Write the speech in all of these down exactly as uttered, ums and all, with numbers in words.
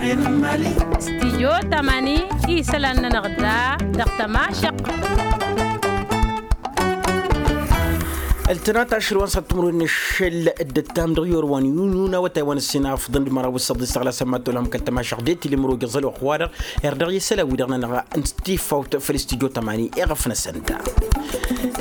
Stijyo tamani isălan-nănăɣ da dăɣ-tămašăq. Ăltănat ašăl wa n-săttǝmrun n-ašăl dd-ăttam dăɣ-yorwan yunun awătay wa n-ǝssin afḍăn d-măraw s-săḍis tăɣlasăn ma t-olhăm kăl-tămašăq d-etilǝmrugǝẓ ălwăqq-wa-dăɣ. Irdaɣ i-isălan wi-dăɣ nănăɣ n-tifawt făll-stijyo tamani iɣăf-năsăn da.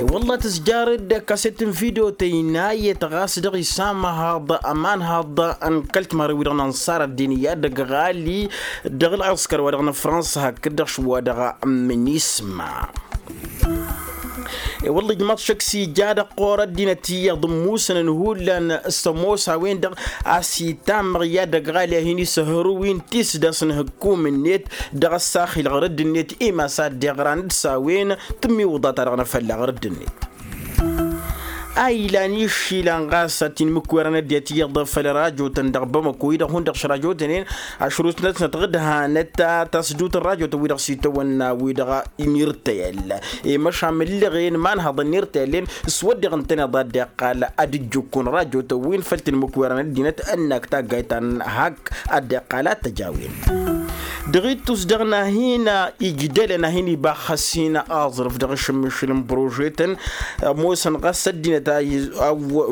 I-wălla tǝzjarăd kaset n-video tăynayăt ɣas dăɣ-isamăhăḍ ămanhăḍ n-kăl-timarăn wi-dăɣ n-ănṣar ăddin i-ad-ăgg ɣali dăɣ-ălɣăskăr wa dăɣ-năfrănsa hakd-dăɣ šwa dăɣ-minisma. I-wălla ijmaḍ šăkk s-ija dăɣ-ɣur-ăddinăt iyyăḍ ǝmmusăn n-hullan s-ămoos a-wen-dăɣ a-s itammăɣ i-ad-ăgg ɣali a hin-isǝhhărǝw-in tisdăs n-ihǝkkum-net dăɣ-ăssaxil ɣur-dd-net imas a dd-iɣran d-s-a-wen tǝmmiwǝḍa-ta-dăɣ n-afălla ɣur-dd-net. A ilan išilan ɣas a t-inmǝkwărăn ăddinăt iyyăḍ făll-rajotăn dăɣ-bamăko-i-dăɣ hundăɣ šrajotăn-en ašrutnăt-năt ɣǝd hanăt tasdut n-rajotăn-wi-dăɣ s-itawănna-wi-dăɣ n-irtăyăl i-măšan mǝllăɣen imanhăḍăn n-irtăyăl-en s-wădden ǝntăneḍ a dd-iqqal ad-ǝjjǝkkun rajotăn-win făll-tinmǝkwărăn ăddinăt ănnak taggayt ta n-hak a dd-iqqal ad-t-ăj a-wen. Dăɣ-ittus dăɣ-nahin ijdălăn a hin-iba xăsin aẓrǝf dăɣ-ašǝmmišǝl n-prožetăn ămoosăn ɣas ăddinăt a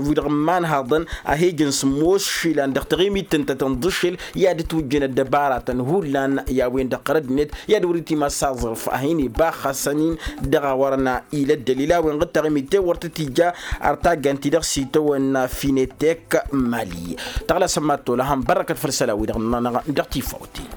wi-dăɣ n-imanhăḍăn a hi-ijăn sǝmmos išilan dăɣ-taɣimit tǝntătăn d-ašăl i-ad-ǝtwǝjjăn ăddăbaratăn hullan i-a-wen-dăɣ ɣur-ăddinăt i-ad-wăr-itimas aẓrǝf a hin-iba xăsăn-in dăɣ-a wărăn ilăddăl ila a-wen ɣǝd taɣimit tewăr tăt-ija ar taggant-i-dăɣ s-itawănna finetek mali. Tăɣlasăn mad-tolăhăm bărrăkăt făll-isălan-wi-dăɣ n-dăɣ-tifawt-i.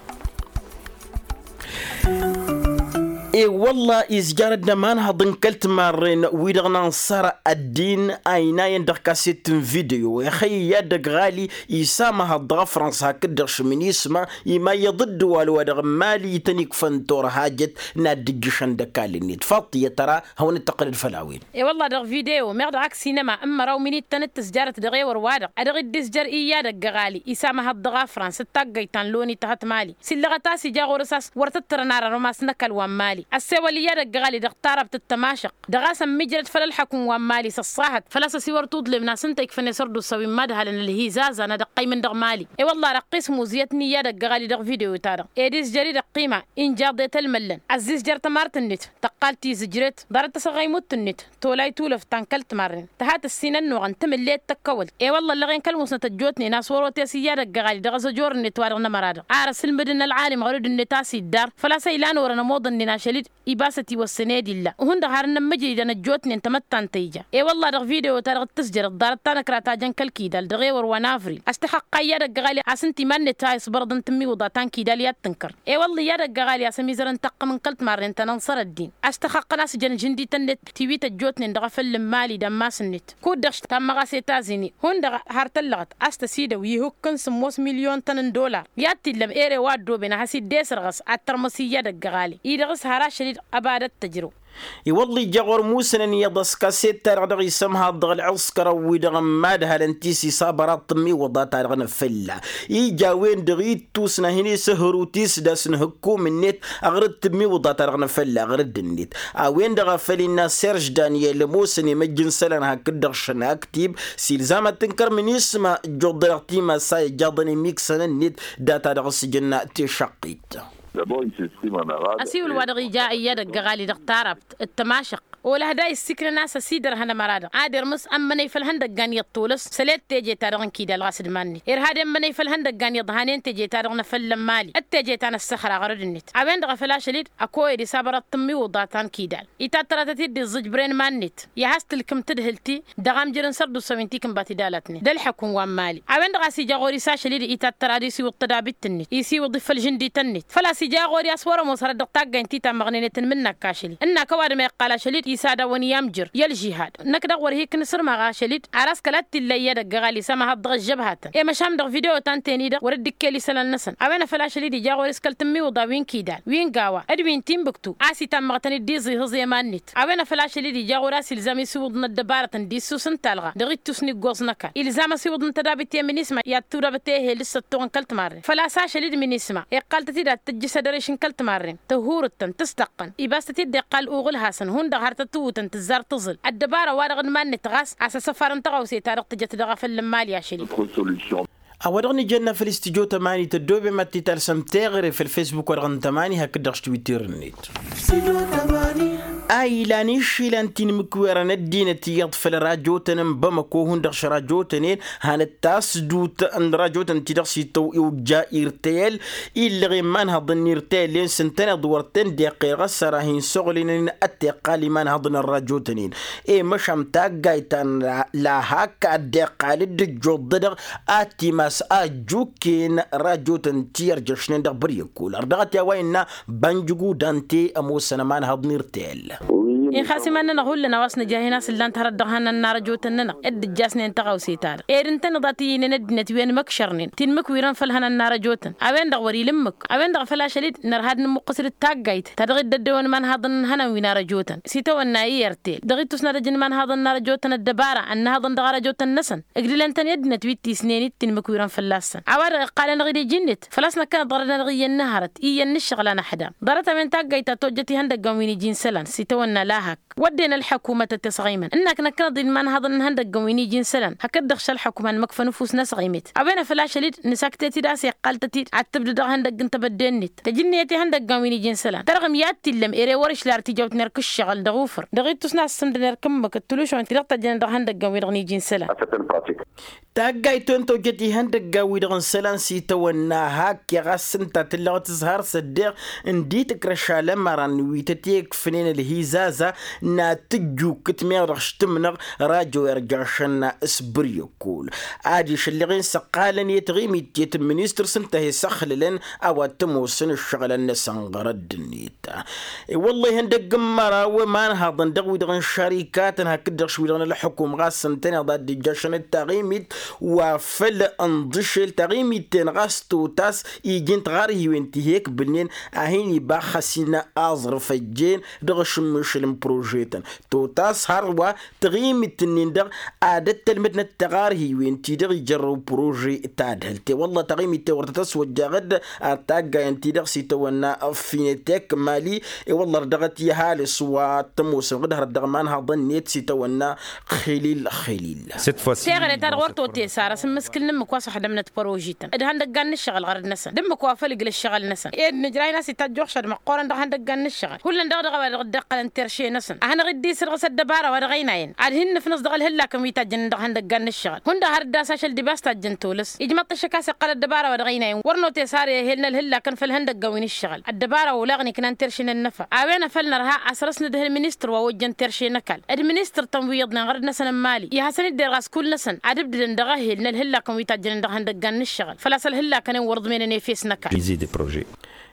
I-wălla izjarăd d-ămanhăḍ n-kăl-timarren-wi-dăɣ n-ănṣar ăddin a inayăn dăɣ-kaset n-video ixăyy i-ad-ăgg ɣali isamăhăḍ dăɣ-afrănsa hakd-dăɣ šminisma imayyăḍ dd-wal wa dăɣ-mali ităn-ikfăn turhajăt n-ad-dd-ǝjjǝšăn d-ăkall-net faḍt iyyăt tăra hawăn-dd-tăqqǝlăd făll-a-wen. I-wălla dăɣ-video meɣ dăɣ-ak sinăma n-măraw minittăn d-tǝzjarăt dăɣ-ewăr-wa-dăɣ a dăɣ-dd-izjăr i-ad-ăgg ɣali isamăhăḍ dăɣ-afrăns d-taggăyt ta n-loni tăhăt mali s-illăɣăt a-s ija ɣur-s a-s wăr tǝttărăn arărăm a-s n-ăkall wa n-mali ăssewăl i-ad-ăgg ɣali dăɣ-tarăbt d-tămašăq dăɣ-a-s ămmijrăd făll-ălḥăkum wa n-mali s-ăṣṣahăt făl-a-s ăsiwăr tuḍlem n-asǝnta ikfăn isărdusa wi n-imadhalăn ălhizazan ad-ăqqăymăn dăɣ-mali. I-wălla răqqis muzǝyăt n-i-ad-ăgg ɣali dăɣ-video-ta-dăɣ ed izjăr-i d-ăqqima injaḍet ălmăllăn ăzzizjăr tămart-net tăqqal tizǝjret ḍarăt tasăɣăymut-net tolay tulăft ta n-kăl-timarren tăhat ǝssin ănnuɣăn tǝmǝllet tăkkăwălt i-wălla ăllăɣen kăl-musnăt ăjjootnen a-s wăr-otesǝyya d-ăgg ɣali dăɣ-azăjor-net wa dăɣ-nămăra-dăɣ ar ăsǝlmǝdăn ălɣalim ɣur-dd-net a-s iddar făl-a-s ăylan orăn ămoḍăn-nin ašăl-dd ibas ătiwăssăn ed illa hundăɣ har n-ămmǝjridăn ăjjootnen tamăttant ta ija i-wălla dăɣ-video-ta-dăɣ d-tǝzjărăt ḍarăt ta n-ăkra ta jăn kăl-kidal dăɣ-ewăr wa n-avril a-s tăxăqqay i-ad-ăgg ɣali a-s ǝnta iman-net a isbărăḍăn tǝmmiwǝḍa ta n-kidal i-ad-tǝnkăr i-wălla i-ad-ăgg ɣali a-s ămizărăn taqqăm n-kăl-timarren ta n-ănṣăr ăddin a-s tăxăqqăn a-s jăn žǝndităn-net tiwit ăjjootnen dăɣ-afăl n-mali d-ammas-net kud-dăɣ tammăɣ-as i-tazini hundăɣ har tăllăɣăt a-s tăsidăw ihukk n-sǝmmos milyon-tăn n-dollar i-ad-t-illăm ere wa ăddooben ad-has-dd-esărɣăs ad-tărmăs iyyăd ăgg ɣali-i-dăɣ s-har ašăl-dd ăba d-ăttăjrăw. I-wălla ija ɣur-musănăn iyyăḍ ăskaset-ta-dăɣ dăɣ-isǝmhaḍ dăɣ-ălɣǝskăr ăwwi-dăɣ n-imadhalăn ti s-isabăraḍ tǝmmiwǝḍa-ta-dăɣ n-afǝlla ija a-wen-dăɣ ittusna a hin-isǝhhǝru tisdăs n-ihǝkkum-net ăɣrǝd tǝmmiwǝḍa-ta-dăɣ n-afǝlla ăɣrǝd-net a-wen-dăɣ a făl innă serž daniyel ămoosăn imăjj n-isălan hakd-dăɣ šăn aktib s-ilzam ad-tǝnkăr minisma ǝjjuḍ-dăɣ timassa ijjaḍăn imiksăn-net data-dăɣ s-ǝjǝnna tišăqqit. Ăsiwǝl wa dăɣ-ija iyyăd ăgg ăɣali dăɣ-tarăbt d-tămašăq olăhda issiknăn a-s ăsidărhăn ămăra-dăɣ ad-irmǝs ămmănăy făll-ihăndăggan iyyăḍ tolăs săl i-teje-ta-dăɣ n-kidal ɣas d-iman-net irhad i-ămmănăy făll-ihăndăggan iyyăḍ hanen teje-ta-dăɣ n-afălla n-mali d-teje ta n-ăssăxra ɣărăd-net a-wen-dăɣ a făl ašăl-dd ăkoyăd isabărăḍ tǝmmiwǝḍa ta n-kidal itattăratăt-dd iẓǝjbren iman-net i-ad-has-tǝlkǝm tadhǝlt-i dăɣ-amjăr n-sărdusa wi n-tikǝnbat idalatnen d-ălḥăkum wa n-mali a-wen-dăɣ a-s ija ɣur-i s-ašăl-i-dăɣ itattăr ad-isiwǝḍ tădabit-net isiwǝḍ-i făll-žǝndităn-net făl-a-s ija ɣur-i a-s wăr-ămoos hărăt dăɣ-taggaynt ti tammăɣnen i-tǝnmǝn n-ăkk ašăl-i ǝnnak ăwadǝm a iqqal ašăl-i-dăɣ isadawăn i-amjăr i-ălžihad năkk dăɣ-wăr hi-iknǝsǝrmăɣ ašăl-i-dăɣ ar a-s kăla t-illa iyyăd ăgg ăɣali s-amăhăḍ dăɣ-ăžžăbhatăn i-măšan dăɣ-video ta n-ten-i-dăɣ wăr dd-ikkel isălan-năsăn a-wen a făl ašăl-i-dăɣ ija ɣur-i s-kăl-tǝmmiwǝḍa wi n-kidal wi n-gawa d-wi n-timbǝktu a-s itammăɣ-tăn-dd iẓihǝẓ i-iman-net a-wen a făl ašăl-i-dăɣ ija ɣur-i a-s ilzam isiwǝḍ n-ăddăbarătăn d-issus n-talɣa dăɣ-ittus n-iggoẓ n-ăkall ilzam asiwǝḍ n-tădabit i-minisma i-ad-tudabăt ehel d-săttuɣ n-kăl-timarren făl-a-s ašăl-i-dăɣ minisma iqqal-tăt-dd ad-tǝjjǝs adăriš n-kăl-timarren tăhhurǝt-tăn tǝstăqqăn ibas-tăt-dd-iqqal uɣǝlhasăn hundăɣ har tăt-tǝwwǝtăn tǝzzar tǝẓǝl ăddăbara wa dăɣ-n iman-net ɣas a-s ăsăfar n-tăɣawse-ta-dăɣ tǝjăt dăɣ-afăl n-imali ašăl-i. A-wa-dăɣ nǝjănna făll-istǝjo tămani tăddoobem ad-t-talsăm teɣăre făll-fesbuk wa dăɣ-n tămani hakd-dăɣ s-twitter-net. A ilan išilan tinmǝkwerăn ăddinăt iyyăḍ făll-rajotăn n-bamăko hundăɣ šrajotăn-en. Hanăt-tasdut n-rajotăn-ti-dăɣ s-ităw iwǝjja irtel illăɣ imanhăḍăn n-irtel-en s-ǝntăneḍ wăr ten-deqqer ɣas ara hin-soɣlǝnăn ad-t-iqqal imanhăḍăn n-rajotăn-en. E măšan taggayt ta n-lahak ad-dd-iqqal dd-ǝjjuḍ-dăɣ ad-t-imas ajjukken rajotăn ti ărjăšnen dăɣ-băryăkkol ărdăɣăt i-a-wa innă. Bănjǝgu dante ămoosăn ămanhăḍ n-irtel. Inxas iman-nănăɣ hullan a-wa s-nǝjrah-in a-s ǝllan-t hărăt dăɣ-ihănan n-arăjotăn-nănăɣ dd-ǝjjasnen tăɣawse-ta-dăɣ ed ǝntăneḍ a t-iyǝynen ăddinăt wi ănmăkšărnen tinmǝkwirăn făll-ihănan n-arăjotăn. A-wen-dăɣ wăr-ila ǝmmǝk a-wen-dăɣ făl ašăl-dd nărha ad-nǝmmuqqǝs d-taggayt ta dăɣ-dd-ăddewăn imanhaḍăn n-ihănan wi n-arăjotăn s-itawănna i-irtel dăɣ-ittus n-ad-ăjǝn imanhaḍăn n-arăjotăn ăddăbara ănnăhăḍăn dăɣ-arăjotăn-năsăn. Ǝgdǝlăn-tăn i-ăddinăt wi t-isnen-dd tinmǝkwirăn fălla-săn a-wa-dăɣ iqqal-anăɣ-dd iji-net făl-a-s năkkăneḍ ɣărăd-anăɣ iyyăn n-hărăt iyyăn n-ǝššăɣǝl anăxdam. Ḍarăt-a-wen taggayt ta tojjăt ihăndăggăn wi n-iji n-isălan s-itawănna lahak. Wădden ălḥăkumăt ad-t-ăsɣăymăn ǝnnak năkkăneḍ-dd imanhaḍăn n-ihăndăggăn wi n-iji n-isălan hakd-dăɣ šălxăkuman măkfăn ăfuss n-asɣăymet. A-wen a făl ašăl-dd nǝsaktet-dd a-s iqqal-tăt-dd ad-tǝbdǝd dăɣ-ihăndăgg n-tebădde-net tăjǝnniyăt ihăndăggăn wi n-iji n-isălan tărɣǝm i-ad-t-illăm ere wăr-išla ar tijawt n-erk ǝššăɣǝl dăɣ-ufǝr dăɣ-ittus n-assǝmdăn erk ǝmmǝk d-tulušon ti-dăɣ tăjjănen dăɣ-ihăndăggăn-wi-dăɣ n-iji n-isălan. Taggayt-wen tojjăt ihăndăggan-wi-dăɣ n-isălan s-itawănna hak i-ɣas ǝnta tǝllăɣ tǝzhar s-ăddeɣ n-dd-itrăš alămăran wi tăt-ikfǝnen ălhizaza n-ad-tǝjjukkǝt meɣ dăɣ-s tǝmnăɣ rajo irjašăn s-băryăkkol. Adiš ǝlleɣ-in s-ăqqalăn i-taɣimit tiyyăt n-ministăr s-ǝnta a he-săxlălăn a-wa t-ămoosăn ǝššăɣǝlăn-năsăn ɣărădd-net. I-wălla ihăndăgg n-măraw imanhaḍăn dăɣ-wi-dăɣ n-šărikatăn hakd-dăɣ š-wi-dăɣ n-ălxukum ɣas ǝntăneḍ ad-dd-ijjašăn d-taɣimit wa făll-ǝnḍǝšel taɣimit-ten ɣas totas iji n-tiɣarhiwen ti he-ǝkbǝlnen a hin-iba xăsin aẓrǝf ăjjeen dăɣ-ašǝmmišǝl n-prožetăn. Totas hărwa taɣimit-nin-dăɣ ad-ăttălmădnăt tiɣarhiwen ti dăɣ-ijărrăw prože tadhǝlt i-wălla taɣimit-ten wăr tăt-ăswăjjaɣ-dd ar taggayăn-ti-dăɣ s-itawănna finetek mali. I-wălla ărdăɣăt i-ăhalǝs wa t-ămoosăn ɣǝd hărăt dăɣ-imanhaḍăn-net s-itawănna xilil xilil. Teɣăre-ta-dăɣ wăr totesar asǝmmǝskǝl n-ǝmmǝk wa s-ăxdămnăt părožităn d-ihăndăggan n-ǝššăɣǝl ɣărăd-năsăn d-ǝmmǝk wa făl ǝgl ǝššăɣǝl-năsăn ed nǝjrah-in a-s itajj uxšăd măqqoorăn dăɣ-ihăndăggan n-ǝššăɣǝl hullan dăɣ-dăɣ a-wa dăɣ-dd-iqqălăn terše-năsăn ad-hanăɣ-dd-isǝrɣǝs ăddăbara wa dăɣ-ăynayăn ad-hin-nǝfnǝs dăɣ-ălhǝllakăn wi tajjănen dăɣ-ihăndăggan n-ǝššăɣǝl hundăɣ har dd-as ašăl dibas tajjăn tolăs ijmăḍ-t ăššăk a-s iqqăl ăddăbara wa dăɣ-ăynayăn wăr notesar i-ehel n-ălhǝllakăn făll-ihăndăggan wi n-ǝššăɣǝl ăddăbara olaɣ n-iknan terše n-ănnăfa a-wen a făl nărha a săr-s nǝdhǝl ministăr wa ojjăn terše n-ăkall d-ministăr-tăn wi iyyăḍnen ɣărăd-năsăn n-imali i-ad-hasăn-dd-irɣas kull-năsăn ad-ǝbdǝdăn dăɣ-ehel n-ălhǝllakăn wi tajjănen dăɣ-ihăndăggan n-ǝššăɣǝl făl-a-s ălhǝllakăn-en wăr ǝḍmenen efes n-ăkall.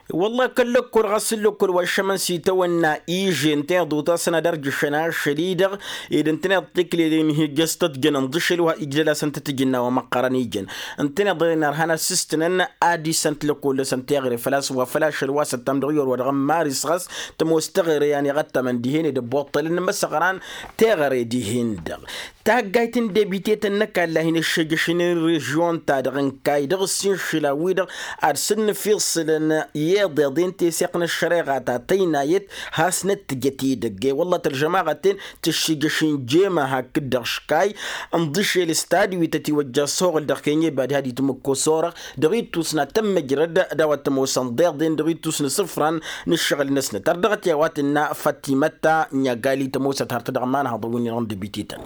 Wălla-hi kăl-lăkkol ɣas n-lăkkol wa ǝššămăn s-itawănna ižen teḍut-asăn ad-ărjǝšăn ašăl-i-dăɣ ed ǝntăneḍ tikleden hi-ǝjjăs tăt-jăn ǝnḍǝšel wa ijdăl-asăn tăt-ǝjǝnna wa măqqărăn ijăn ǝntăneḍ ărhan asǝstǝnăn ad-isănt lăkkol-năsăn teɣăre făl-a-s wa făl ašăl wa săttam dăɣ-iwăr wa dăɣ-n maris ɣas tămoos teɣăre i-ad-iɣăttămăn dihen ed ăbboṭṭălăn n-imăsăɣran teɣăre dihen-dăɣ. Taggayt n-debitetăn n-ăkall a hin-ăššejăšnen režion-ta-dăɣ n-kayy dăɣ-s inšǝla-wi-dăɣ ad-sǝnnǝfiṣǝlăn i-iḍeḍen teseɣt n-ăššăreɣa ta tăynayăt. Hasnăt tǝjăt edăgg i-wălla tălžămaɣăt-en tǝššijăš injema hakd-dăɣ škay ǝnḍǝšel s-tadwit ătiwăjja s-oɣǝl dăɣ-kenyeba diha d-itmǝkkos orăɣ dăɣ-ittus n-ad-tămmăjrăd d-a-wa t-ămoosăn ḍeḍen dăɣ-ittus n-isǝfran n-ǝššăɣǝl-năsnăt ărdăɣăt i-a-wa tǝnna fătimăt ta n-igali tămoosăt hărăt dăɣ-imanhăḍăn wi n-irăn dăbitităn.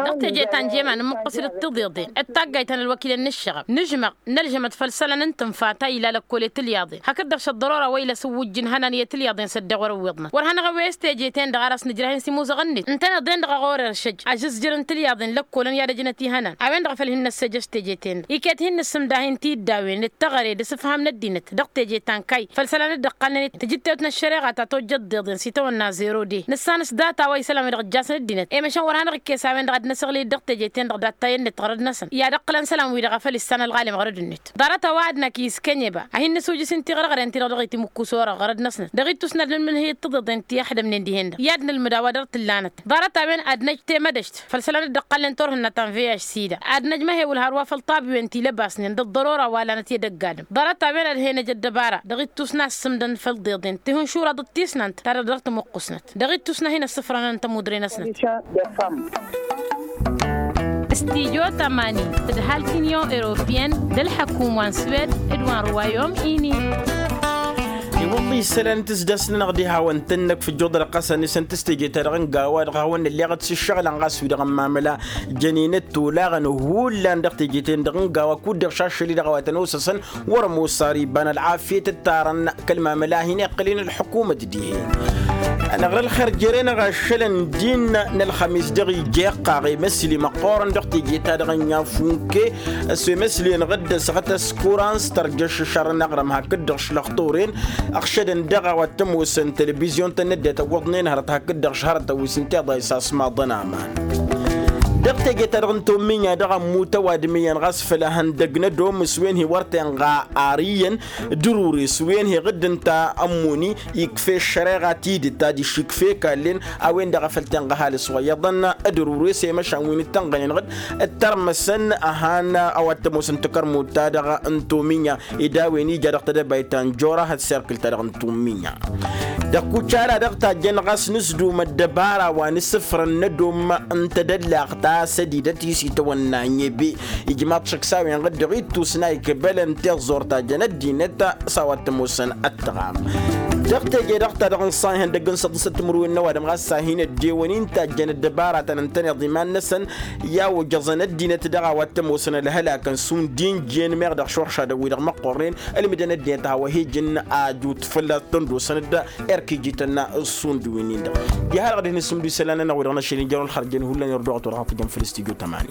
Dăɣ-teje ta n-jema nǝmmǝqqǝs-dd tiḍeḍen d-taggayt ta n-ălwăkilăn n-ǝššăɣăb nǝžmăɣ nălžămăt făll-isălan n-tǝnfa ta ila lăkkol i-tǝlyaḍen hakd-dăɣ šăḍḍărora wa ila s-ǝwwǝjjǝn ihănan i-tǝlyaḍen s-ăddeɣ wăr-ǝwwiḍnăt wăr hanăɣ-ăwwes teje-ten-dăɣ ar ăsnǝjrah-in s-imuzăɣăn-net ǝntăneḍ-en-dăɣ a ɣur-eršăj ažǝzjăr n-tǝlyaḍen lăkkolăn i-ad-ăjnăt ihănan a-wen-dăɣ a făl hin-năssăjăš teje-ten-dăɣ iket hin-nǝssǝmda-hin-t-dd a-wen d-teɣăre d-asǝfham n-ăddinăt dăɣ-teje ta n-kayy făll-isălan dd-ăqqalnen tǝjǝttewt n-ăššăreɣa ta tojjăt d-iḍen s-itawănna zero de nǝssan s-data wa isălan-wi-dăɣ ǝjjasăn ăddinăt i-măšan wăr hanăɣ-ikkes a-wen-dăɣ ad-năsăɣlǝy-dd dăɣ-teje-ten-dăɣ dat-tayănnet ɣărăd-năsăn i-ad-ǝqqǝlăn isălan-wi-dăɣ a făl issan ălɣalem ɣărăd-net. Ḍarăt a-wa ad-năkk iskenyeba a hin-nǝsujǝs-in tiɣrăɣren-ti-dăɣ dăɣ-itimǝkkus orăɣ ɣărăd-năsnăt dăɣ-ittus n-ad-nǝlmǝnhǝy d-tiḍeḍen ti ăxdămnen dihen-dăɣ i-ad-nǝlmǝd a-wa dăr-tǝllanăt ḍarăt a-wen ad-năj temădăjt făll-isălan dd-ăqqalnen turhǝnna ta n-vh sida ad-năj măhewǝl hărwa făll-tabiwen ti lăbasnen d-ăḍḍărora wa lanăt i-ed ăgg-adǝm ḍarăt a-wen ad-hen-ăj ăddăbara dăɣ-ittus n-assǝmdăn făll-ḍeḍen tihǝnšuraḍăt tisnant ta dăɣ-tămuqqusnăt dăɣ-ittus n-ad-hin-ăssǝfrănăn tămudre-năsnăt. Tidyo tămani tǝdhal tinyon europiyăn d-ălḥăkum wa n-swed d-wa n-ruwayom-ini. Iwăḍḍi isălan n-tǝsdăsnănăɣ d-ihawăn-tăn-năk făjjoḍ răqqasăn isăn tǝstejeta dăɣ-n gawa dăɣ-hawăn-nălleɣăt s-ǝššăɣǝlăn ɣas wi-dăɣ n-mamăla jăninăt tolaɣăn hullan dăɣ-teje-ten-dăɣ n-gawa kud-dăɣ šašăl-i dăɣ-a-wa tăn-osăsăn. Wăr-ămoos ar iba n-ălɣafyăt ǝttarăn kăl-mamăla a hin-iqqălăn ălḥukumăt dihen. Anăɣrăl xer jere-năɣ ašălăn din n-ălxămis dăɣ-ija iqqaɣ emăsli măqqoorăn dăɣ-teje-ta-dăɣ n-yafunke s-emăsli-năɣ dd-ăsɣăt ăskuran s-tărjăš ăššărăn aɣrǝm hakd-dăɣ šlăxturen ăɣšădăn dăɣ-a-wa t-ămoosăn telebizyon-tăn n-ăddinăt ăwwăḍnen hărăt hakd-dăɣ šhărătăn wi s-ǝnta iḍa isaṣmaḍăn aman. Dăɣ-teje-ta-dăɣ n-tomminya dăɣ-ămmut ăwadǝm iyyăn ɣas făll-ehăndăg n-ădomǝs wen hi-wăr tenɣa ar iyyăn d-ărures wen hi-ɣǝdd ǝnta ămmuni ikf'-e ăššăreɣa tidǝt adiš ikf'-e kallen a-wen-dăɣ a făl tenɣa ăhalǝs wa iyyăḍăn d-ărures i-măšan wi n-ǝttănɣănen ɣǝd d-tărmăsăn ăhan a-wa t-ămoosăn takărmut-ta-dăɣ n-tomminya ed a-wen ija dăɣ-tedăbayt ta n-jora hăt serkǝl-ta-dăɣ n-tomminya. Dăɣ-kucala dăɣ-tajjăn ɣas nǝsdum ăddăbara wa n-asǝfrăn n-ădom n-tedăllaɣt ta sădidăt i-s itawănna n-ebe ijmaḍ šăkk s-a-wen ɣǝd-dăɣ ittus n-a ikbălăn tiẓẓurt ta jăn ăddinăt s-a-wa t-ămoosăn ăttăɣam. Dăɣ-teje-dăɣ ta dăɣ-nǝṣṣan ihăndăgg n-săḍǝsăt timǝrwen n-ăwadǝm ɣas s-a hin-ăddewăn-in tajjăn ăddăbara ta n-ǝntăneḍ iman-năsăn i-a-wa ojăẓăn ăddinăt dăɣ-a-wa t-ămoosăn ălhălakăn šund injǝyăn meɣ dăɣ-šoršadăn-wi-dăɣ măqqornen ălmǝdăn ăddinăt a-wa hi-ijǝn ajut fălla-s tăndosăn-dd erk ijităn šund wi-nin-dăɣ. Diha-dăɣ dăɣ-hin-ǝssǝmdu isălan-nănăɣ wi-dăɣ n-ašăl injăr wăl-xărjăn hullan irduɣăt wa dăɣ-tǝjjăn făll-s tijo tămani.